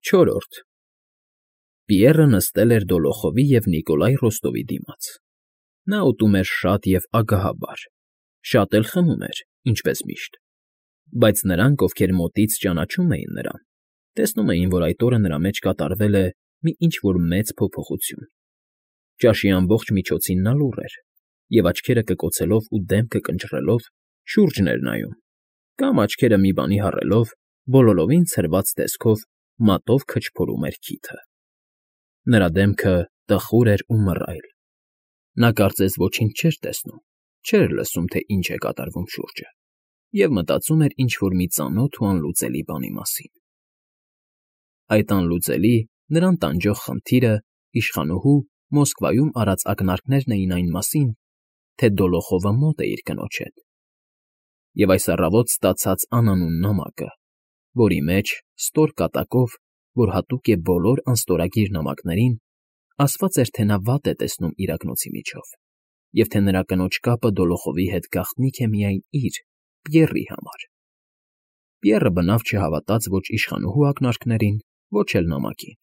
Չորրորդ Պիեռը նստել էր Դոլոխովի և Նիկոլայ Ռոստովի դիմաց. նա ուտում էր շատ և ագահաբար, շատ էլ խմում էր, ինչպես միշտ, բայց նրանք, ովքեր մոտից ճանաչում էին նրան, տեսնում էին, որ այդ օրը նրա մեջ կատարվել է մի ինչ֊որ մեծ փոփոխություն. ճաշի ամբողջ միջոցին նա լուռ էր և, աչքերը կկոցելով ու դեմքը կնճռելով, շուրջն էր նայում կամ, աչքերը մի բանի հառելով, բոլորովին ցրված տեսքով մատով քչփորում էր քիթը. նրա դեմքը տխուր էր ու մռայլ. նա կարծես ոչինչ չէր տեսնում, չէր լսում, թե ինչ է կատարվում շուրջը, և մտածում էր ինչ֊որ մի ծանոթ ու անլուծելի բանի մասին. այդ անլուծելի, նրան տանջող խնդիրը իշխանուհու Մոսկվայում արած ակնարկներն էին այն մասին, թե Դոլոխովը մոտ է իր կնոջ հետ, և այս առավոտ ստացած անանուն նամակը, որի մեջ, ստոր կատակով, որ հատուկ է բոլոր անստորագիր նամակներին, ասված էր, թե նա վատ է տեսնում իրակնոցի միջով, և թե նրա կնոջ կապը Դոլոխովի հետ գաղտնիք է միայն իր, Պիեռի համար։ Պիեռը բնավ չհավատաց ոչ իշխանուհու ակնարկներին, ոչ էլ նամակին,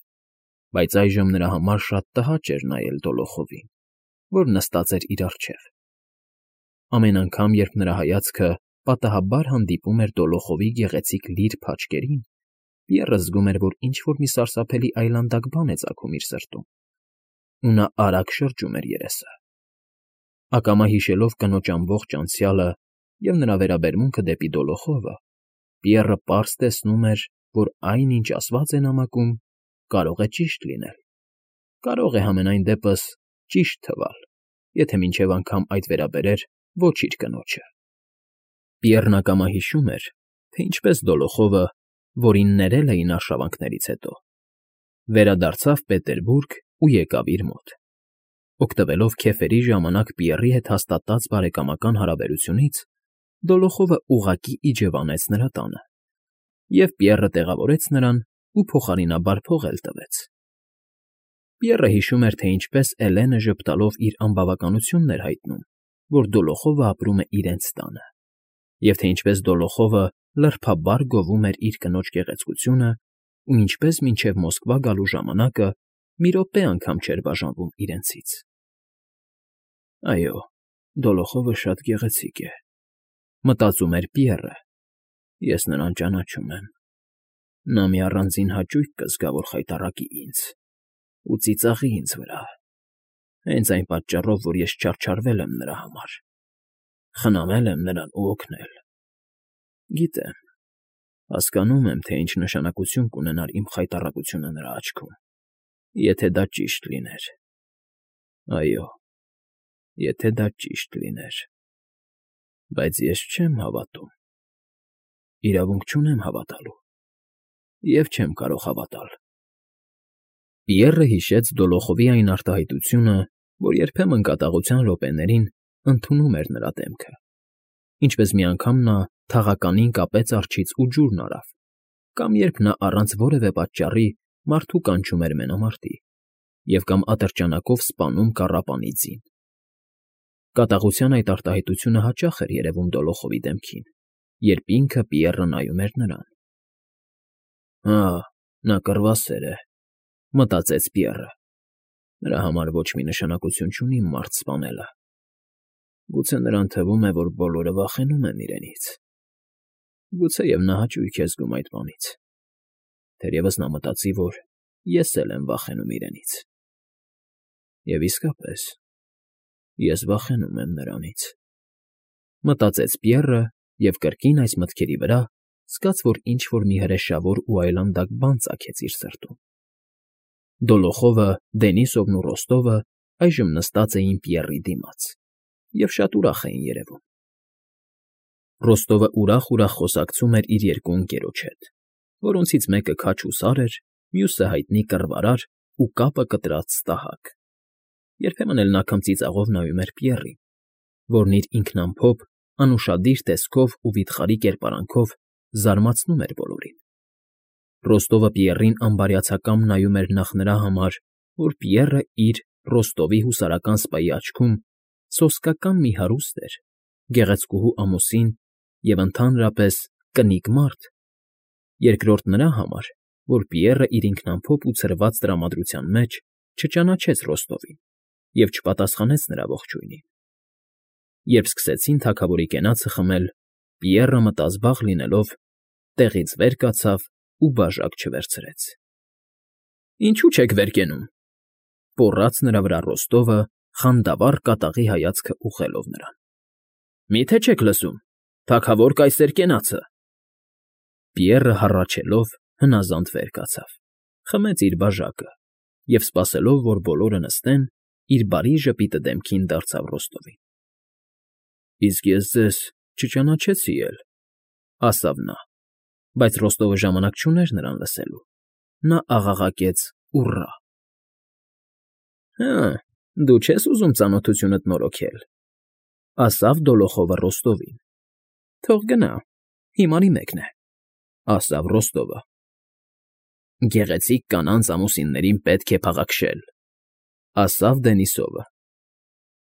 բայց այժմ նրա համար շատ տհաճ էր նայել Դոլոխովին, որ նստած էր իր առջև։ Ամեն անգամ, երբ նրա հայացքը պատահաբար հանդիպում էր Դոլոխովի գեղեցիկ լիր փաչկերին, Պիեռը զգում էր, որ ինչ֊որ մի սարսափելի այլանդակ բան է ծագում իր սրտում, ու նա արագ շրջում էր երեսը։ Ակամա հիշելով կնոջ ամբողջ անցյալը և նրա վերաբերմունքը դեպի Դոլոխովը, Պիեռը պարզ տեսնում էր, որ այն, ինչ ասված է նամակում, կարող է ճիշտ լինել, կարող է համենայն դեպս ճիշտ թվալ, եթե մինչև անգամ այդ վերաբերեր ոչ իր կնոջը։ Պիեռն ակամա հիշում էր, թե ինչպես Դոլոխովը, որին ներել էին արշավանքներից հետո, վերադարձավ Պետերբուրգ ու եկավ իր մոտ։ Օգտվելով քեֆերի ժամանակ Պիեռի հետ հաստատած բարեկամական հարաբերությունից, Դոլոխովը ուղղակի իջևանեց նրա տանը, և Պիեռը տեղավորեց նրան ու փոխարինաբար փող էլ տվեց։ Պիեռը հիշում էր, թե ինչպես Էլենը ժպտալով իր անբավականությունն էր հայտնում, որ Դոլոխովը ապրում է իրենց տանը, և թե ինչպես Դոլոխովը լրբաբար գովում էր իր կնոջ գեղեցկությունը ու ինչպես մինչև Մոսկվա գալու ժամանակը մի րոպե անգամ չէր բաժանվում իրենցից։ «Այո, Դոլոխովը շատ գեղեցիկ է,֊ մտածում էր Պիեռը,֊ ես նրան ճանաչում եմ։ Նա մի առանձին հաճույք կզգա, որ խայտառակի ինձ ու ծիծաղի ինձ վրա, հենց այն պատճառով, որ ես չարչարվել եմ նրա համար, խնամել եմ նրան ու օգնել։ Գիտեմ, հասկանում եմ, թե ինչ նշանակություն կունենար իմ խայտառակությունը նրա աչքում, եթե դա ճիշտ լիներ։ Այո, եթե դա ճիշտ լիներ, բայց ես չեմ հավատում, իրավունք չունեմ հավատալու և չեմ կարող հավատալ»։ Պիեռը հիշեց Դոլոխովի այն արտահայտությունը, որ երբեմն կատաղության րոպեներին ընդունում էր նրա դեմքը, ինչպես մի անգամ նա թաղականին կապեց արջից ու ջուրն արավ, կամ երբ նա առանց որևէ պատճառի մարդու կանչում էր մենամարտի, և կամ ատրճանակով սպանում կառապանի ձին։ Կատաղության այդ արտահայտությունը հաճախ էր երևում Դոլոխովի դեմքին, երբ ինքը Պիեռը նայում էր նրան։ «Հա, նա կռվասեր է,֊ մտածեց Պիեռը,֊ նրա համար ոչ մի նշանակություն չունի մարդ սպանելը։ Գուցե նրան թվում է, որ բոլորը վախենում են իրենից։ Գուցեև նա հաճույք է զգում այդ բանից։ Թերևս նա մտածի, որ ես էլ եմ վախենում իրենից։ Եվ իսկապես, ես վախենում եմ նրանից», մտածեց Պիեռը և կրկին այս մտքերի վրա զգաց, որ ինչ֊որ մի հրեշավոր ու այլանդակ բան ծագեց իր սրտում։ Դոլոխովը, Դենիսովն ու Ռոստովը այժմ նստած էին Պիեռի դիմաց և շատ ուրախ էին երևում։ Ռոստովը ուրախ խոսակցում էր իր երկու ընկերոջ հետ, որոնցից մեկը քաջ ու սար էր, մյուսը հայտնի կռվարար ու կապը կտրած ստահակ։ Երբեմն էլ նա քմծիծաղով նայում էր Պիեռին, որն իր ինքնամփոփ, անուշադիր տեսքով ու վիթխարի կերպարանքով զարմացնում էր բոլորին։ Ռոստովը Պիեռին անբարյացակամ նայում էր նախ նրա համար, որ Պիեռը իր՝ Ռոստովի հուսարական սպայի աչքում սոսկական մի հարուստ էր, գեղեցկուհու ամուսին և, ընդհանրապես, կնիկ մարդ, երկրորդ նրա համար, որ Պիեռը իր ինքնամփոփ ու ցրված տրամադրության մեջ չճանաչեց Ռոստովին և չպատասխանեց նրա ողջույնին։ Երբ սկսեցին թագավորի կենացը խմել, Պիեռը մտազբաղ լինելով տեղից վեր կացավ ու բաժակ չվերցրեց։ ֊ Ինչու՞ չեք վեր կենում,֊ պոռաց նրա վրա Ռոստովը, խանդավառ կատաղի հայացքը ուղղելով նրան։ ֊ Մի՞թե չեք լսում, թագավոր կայսեր կենացը… Պիեռը հառաչելով հնազանդ վեր կացավ, խմեց իր բաժակը և, սպասելով, որ բոլորը նստեն, իր բարի ժպիտը դեմքին դարձավ Ռոստովին։ ֊ Իսկ ես ձեզ չճանաչեցի էլ,֊ ասավ նա, բայց Ռոստովը ժամանակ չուներ նրան լսելու։ Նա աղաղակեց ուռա։ ֊ Հը, դու չես ուզում ծանոթությունդ նորոգել,֊ ասավ Դոլոխովը Ռոստովին։ ֊ Թող գնա, հիմարի մեկն է,֊ ասավ Ռոստովը։ ֊ Գեղեցիկ կանանց ամուսիններին պետք է փաղաքշել,֊ ասավ Դենիսովը։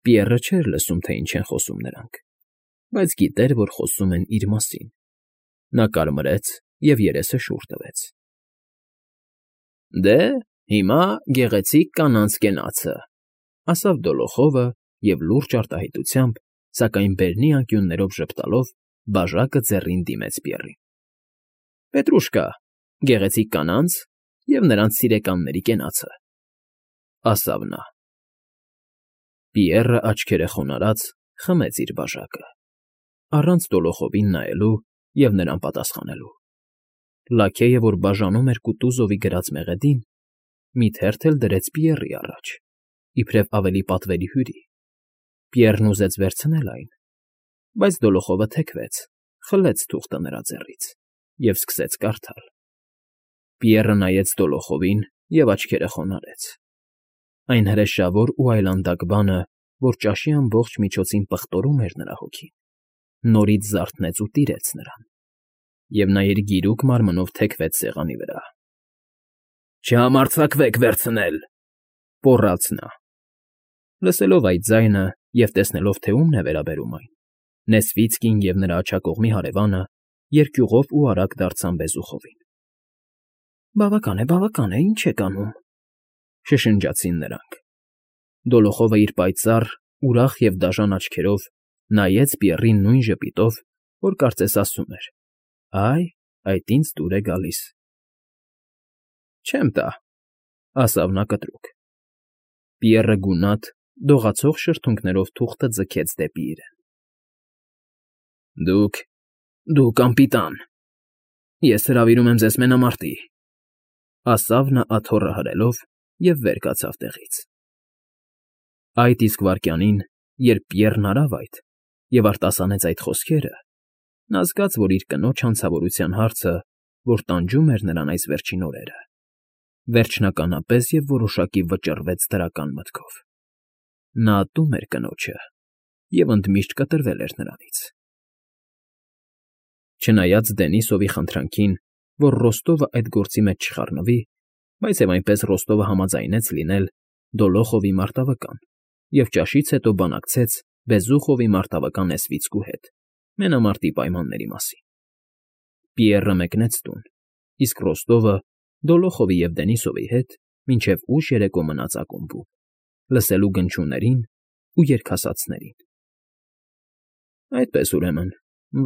Պիեռը չէր լսում, թե ինչ են խոսում նրանք, բայց գիտեր, որ խոսում են իր մասին։ Նա կարմրեց և երեսը շուռ տվեց։ ֊ Դե, հիմա գեղեցիկ կանանց կենացը,֊ ասավ Դոլոխովը և լուրջ արտահայտությամբ, սակայն բերնի անկյուններով ժպտալով, բաժակը ձեռին դիմեց Պիեռին։ ֊ Պետրուշկա, գեղեցիկ կանանց և նրանց սիրեկանների կենացը,֊ ասավ նա։ Պիեռը աչքերը խոնարհած խմեց իր բաժակը, առանց Դոլոխովին նայելու և նրան պատասխանելու։ Լաքեյը, որ բաժանում էր Կուտուզովի գրած մեղեդին, մի թերթ էլ դրեց Պիեռի առաջ, իբրև ավելի պատվելի հյուրի։ Պիեռն ուզեց վերցնել այն, բայց Դոլոխովը թեքվեց, խլեց թուղթը նրա ձեռից և սկսեց կարդալ։ Պիեռը նայեց Դոլոխովին և աչքերը խոնարհեց։ Այն հրեշավոր ու այլանդակ բանը, որ ճաշի ամբողջ միջոցին պղտորում էր նրա հոգին, նորից զարթնեց ու տիրեց նրան, և նա իր գիրուկ մարմնով թեքվեց սեղանի վրա։ ֊ Չհամարձակվեք վերցնել,֊ պոռաց նա։ Լսելով այդ ձայնը և տեսնելով, թե ումն է վերաբերում այն, Նեսվիցկին և նրա աջակողմի հարևանը երկյուղով ու արագ դարձան Բեզուխովին։ ֊ Բավական է, ինչ եք անում,֊ շշնջացին նրանք։ Դոլոխովը իր պայծառ, ուրախ և դաժան աչքերով նայեց Պիեռին նույն ժպիտով, որ կարծես ասում էր. «Այ, այդ ինձ դուր է գալիս»։ ֊ Չեմ տա,֊ ասավ նա կտրուկ։ Պիեռը գունատ, դողացող շրթունքներով թուղթը ձգեց դեպի իրեն։ Դուք անպիտան… Ես հրավիրում եմ ձեզ մենամարտի,֊ ասավ նա աթոռը հրելով և վեր կացավ տեղից։ Այդ իսկ վայրկյանին, երբ Պիեռն արավ այդ և արտասանեց այդ խոսքերը, նա զգաց, որ իր կնոջ հանցավորության հարցը, որ տանջում էր նրան այս վերջին օրերը, վերջնականապես և որոշակի վճռվեց դրական մտքով։ Նա ատում էր կնոջը և ընդմիշտ կտրվել էր նրանից։ Չնայած Դենիսովի խնդրանքին, որ Ռոստովը այդ գործի մեջ չխառնվի, բայց և այնպես Ռոստովը համաձայնեց լինել Դոլոխովի մարտավկան և ճաշից հետո բանակցեց Բեզուխովի մարտավկան Նեսվիցկու հետ մենամարտի պայմանների մասին։ Պիեռը մեկնեց տուն, իսկ Ռոստովը Դոլոխովի և Դենիսովի հետ մինչև ուշ երեկո մնաց ակումբում, լսելու գնչուներին ու երգասացներին։ ֊ Այդպես, ուրեմն,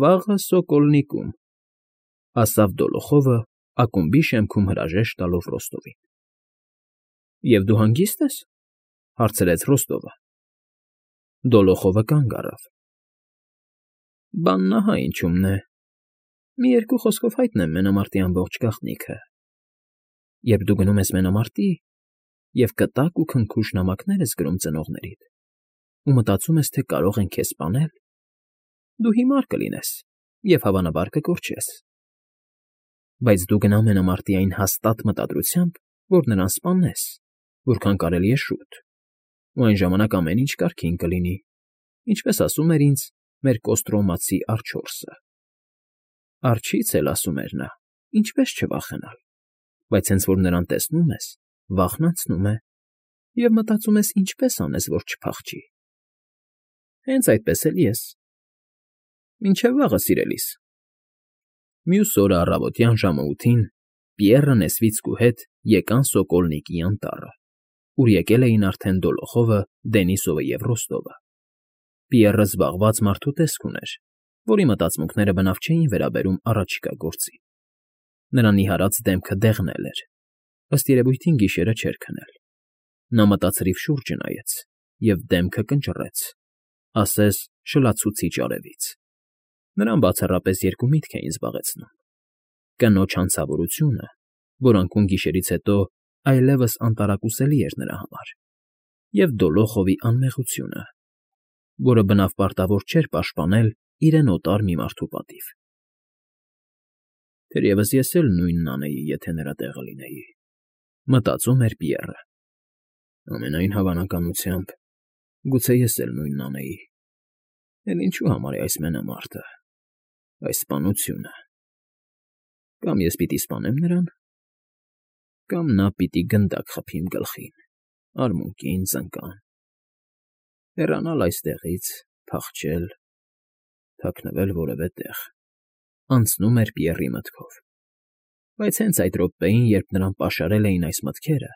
վաղը Սոկոլնիկում,֊ ասավ Դոլոխովը, ակումբի շեմքում հրաժեշտ տալով Ռոստովին։ ֊ Եվ դու հանգի՞ստ ես,֊ հարցրեց Ռոստովը։ Դոլոխովը կանգ առավ։ ֊ Բանն ահա ինչումն է. մի երկու խոսքով հայտնեմ մենամարտի ամբողջ գաղտնիքը։ Երբ դու գնում ես մենամարտի և կտակ ու քնքուշ նամակներ ես գրում ծնողներիդ ու մտածում ես, թե կարող են քեզ սպանել, դու հիմար կլինես և, հավանաբար, կկորչես։ Բայց դու գնա մենամարտի այն հաստատ մտադրությամբ, որ նրան սպանես, որքան կարելի է շուտ, ու այն ժամանակ ամեն ինչ կարգին կլինի, ինչպես ասում էր ինձ մեր Կոստրոմացի Ա՛Րչորսը։ Արջից էլ ասում էր նա. ինչպես չվախենալ, բայց հենց որ նրան տեսնում ես, վախն անցնում է, և մտածում ես ինչպես անես, որ չփախչի։ Հենց այդպես էլ ես։ Մինչև վաղը, սիրելիս։ Մյուս օրը առավոտյան ժամը 8-ին Պիեռը Նեսվիցկու հետ եկան Սոկոլնիկի անտառը, ուր եկել էին արդեն Դոլոխովը, Դենիսովը և Ռոստովը։ Պիեռը զբաղված մարդու տեսք ուներ, որի մտածմունքները բնավ չէին վերաբերում առաջիկա գործին։ Նրա նիհարած դեմքը դեղնել էր, ըստ երևույթին գիշերը չէր քնել։ Նա մտածրիվ շուրջը նայեց և դեմքը կնճռեց, ասես շլացուցիչ արևից։ Նրան բացառապես երկու միտք էին զբաղեցնում. կնոջ հանցավորությունը, որ անկում գիշերից հետո այլևս անտարակուսելի էր նրա համար, և Դոլոխովի անմեղությունը, որը բնավ պարտավոր չէր պաշտպանել իրեն օտար մի մարդու պատիվ։ «Թերևս ես էլ նույնն անեի, եթե նրա տեղը լինեի», մտածում էր Պիեռը։ «Ամենայն հավանականությամբ, գուցե ես էլ նույնն անեի։ Էլ ինչու համար է այս մենամարտը, այս սպանությունը։ Կամ ես պիտի սպանեմ նրան, կամ նա պիտի գնդակ խփի իմ գլխին, արմունկին, ծնկան, հեռանալ այստեղից, փախչել, թաքնվել որևէ տեղ», անցնում էր Պիեռի մտքով։ Բայց հենց այդ րոպեին, երբ նրան պաշարել էին այս մտքերը,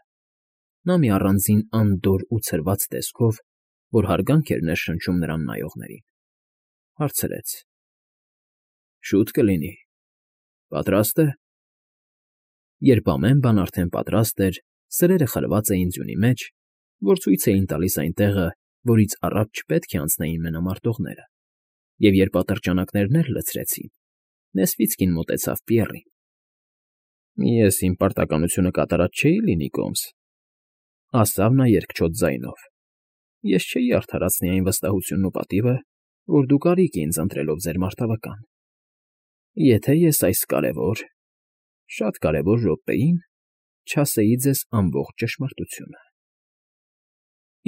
նա մի առանձին անդորր ու ցրված տեսքով, որ հարգանք էր ներշնչում նրան նայողներին, հարցրեց. «Շո՞ւտ կլինի, պատրաստ է»։ Երբ ամեն բան արդեն պատրաստ էր, սրերը խրված էին ձյունի մեջ, որ ցույց էին տալիս այն տեղը, որից առաջ չպետք է անցնեին մենամարտողները, և երբ ատրճանակներն էլ լցրեցին, Նեսվիցկին մոտեցավ Պիեռին։ «Ես իմ պարտականությունը կատարած չէի՞ լինի, Կոմս», ասավ նա երկչոտ ձայնով։ «Ես չէի արդարացնի այն վստահությունն ու պատիվը, որ դուք արիք ինձ ընտրելով ձեր մարտավական, եթե ես այս կարևոր, շատ կարևոր րոպեին չասեի ձեզ ամբողջ ճշմարտությունը։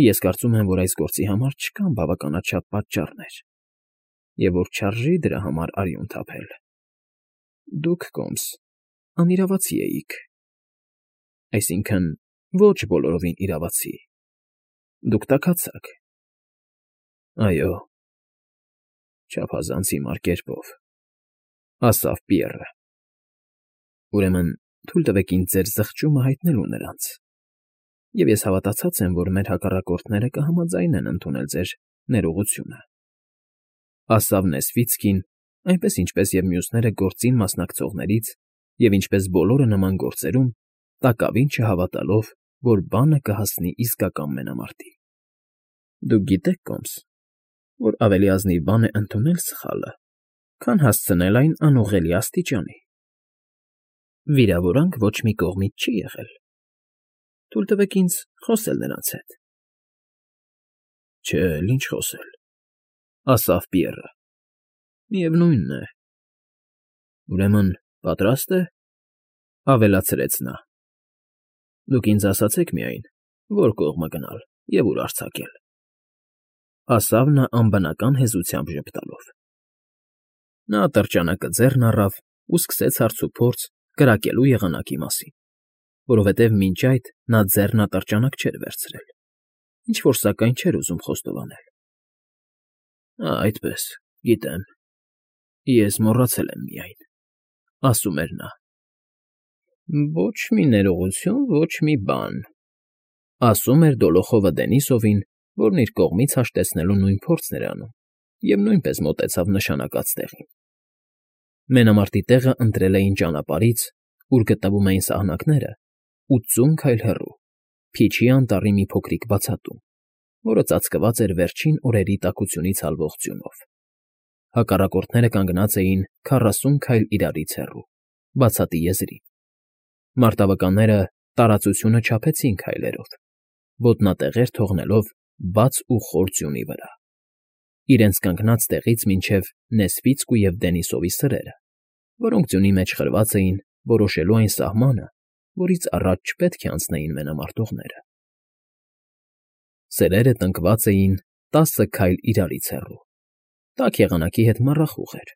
Ես կարծում եմ, որ այս գործի համար չկան բավականաչափ պատճառներ, և որ չարժի դրա համար արյուն թափել։ Դուք, Կոմս, անիրավացի էիք, այսինքն՝ ոչ բոլորովին իրավացի, դուք տաքացաք։ Այո, չափազանց հիմար կերպով», ասավ Պիեռը։ «Ուրեմն թույլ տվեք ինձ ձեր զղջումը հայտնելու նրանց, և ես հավատացած եմ, որ մեր հակառակորդները կհամաձայնեն ընդունել ձեր ներողությունը», ասավ Նեսվիցկին, այնպես ինչպես և մյուսները գործին մասնակցողներից և ինչպես բոլորը նման գործերում, տակավին չհավատալով, որ բանը կհասնի իսկական մենամարտի։ «Դուք գիտեք, Կոմս, որ ավելի ազնիվ բան է ընդունել սխալը, քան հասցնել այն անուղղելի աստիճանի։ Վիրավորանք ոչ մի կողմից չի եղել։ Թույլ տվեք ինձ խոսել նրանց հետ»։ «Չէ, էլ ինչ խոսել», ասավ Պիեռը։ «Միևնույնն է»։ «Ուրեմն պատրաստ է», ավելացրեց նա։ «Դուք ինձ ասացեք միայն, որ կողմը գնալ և ուր արձակել», ասավ նա անբնական հեզությամբ ժպտալով։ Նա ատրճանակը ձեռն առավ ու սկսեց հարցուփորձ կրակելու եղանակի մասին, որովհետև մինչ այդ նա ձեռն ատրճանակ չէր վերցրել, ինչ֊որ սակայն չէր ուզում խոստովանել։ Այդպես, գիտեմ, ես մոռացել եմ միայն», ասում էր նա։ «Ոչ մի ներողություն, ոչ մի բան», ասում էր Դոլոխովը Դենիսովին, որն իր կողմից հաշտեցնելու նույն փորձն էր անում, և նույնպես մոտեցավ նշանակած տեղին։ Մենամարտի տեղը ընտրել էին ճանապարհից, ուր գտնվում էին սահնակները, 80 քայլ հեռու, Փիչի անտառի մի փոքրիկ բացատում, որը ծածկված էր վերջին օրերի տաքությունից հալվող ձյունով։ Հակառակորդները կանգնած էին 40 քայլ իրարից հեռու, բացատի եզրին։ Մարտավականները տարածությունը չափեցին քայլերով, ոտնատեղեր թողնելով բաց ու խոր ձյունի վրա, իրենց կանգնած տեղից մինչև Նեսվիցկու և Դենիսովի սրերը, որոնք ձյունի մեջ խրված էին, որոշելու այն սահմանը, որից առաջ չպետք է անցնեին մենամարտողները։ Սերերը տնկված էին 10 քայլ իրարից հեռու, տաք եղանակի հետ մառախուղ էր։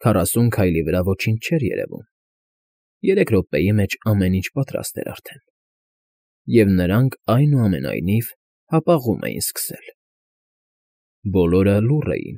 40 քայլի վրա ոչինչ չէր երևում։ 3 րոպեի մեջ ամեն ինչ պատրաստ էր արդեն, և նրանք, այնուամենայնիվ, հապաղում էին սկսել։ Բոլորը լուռ էին,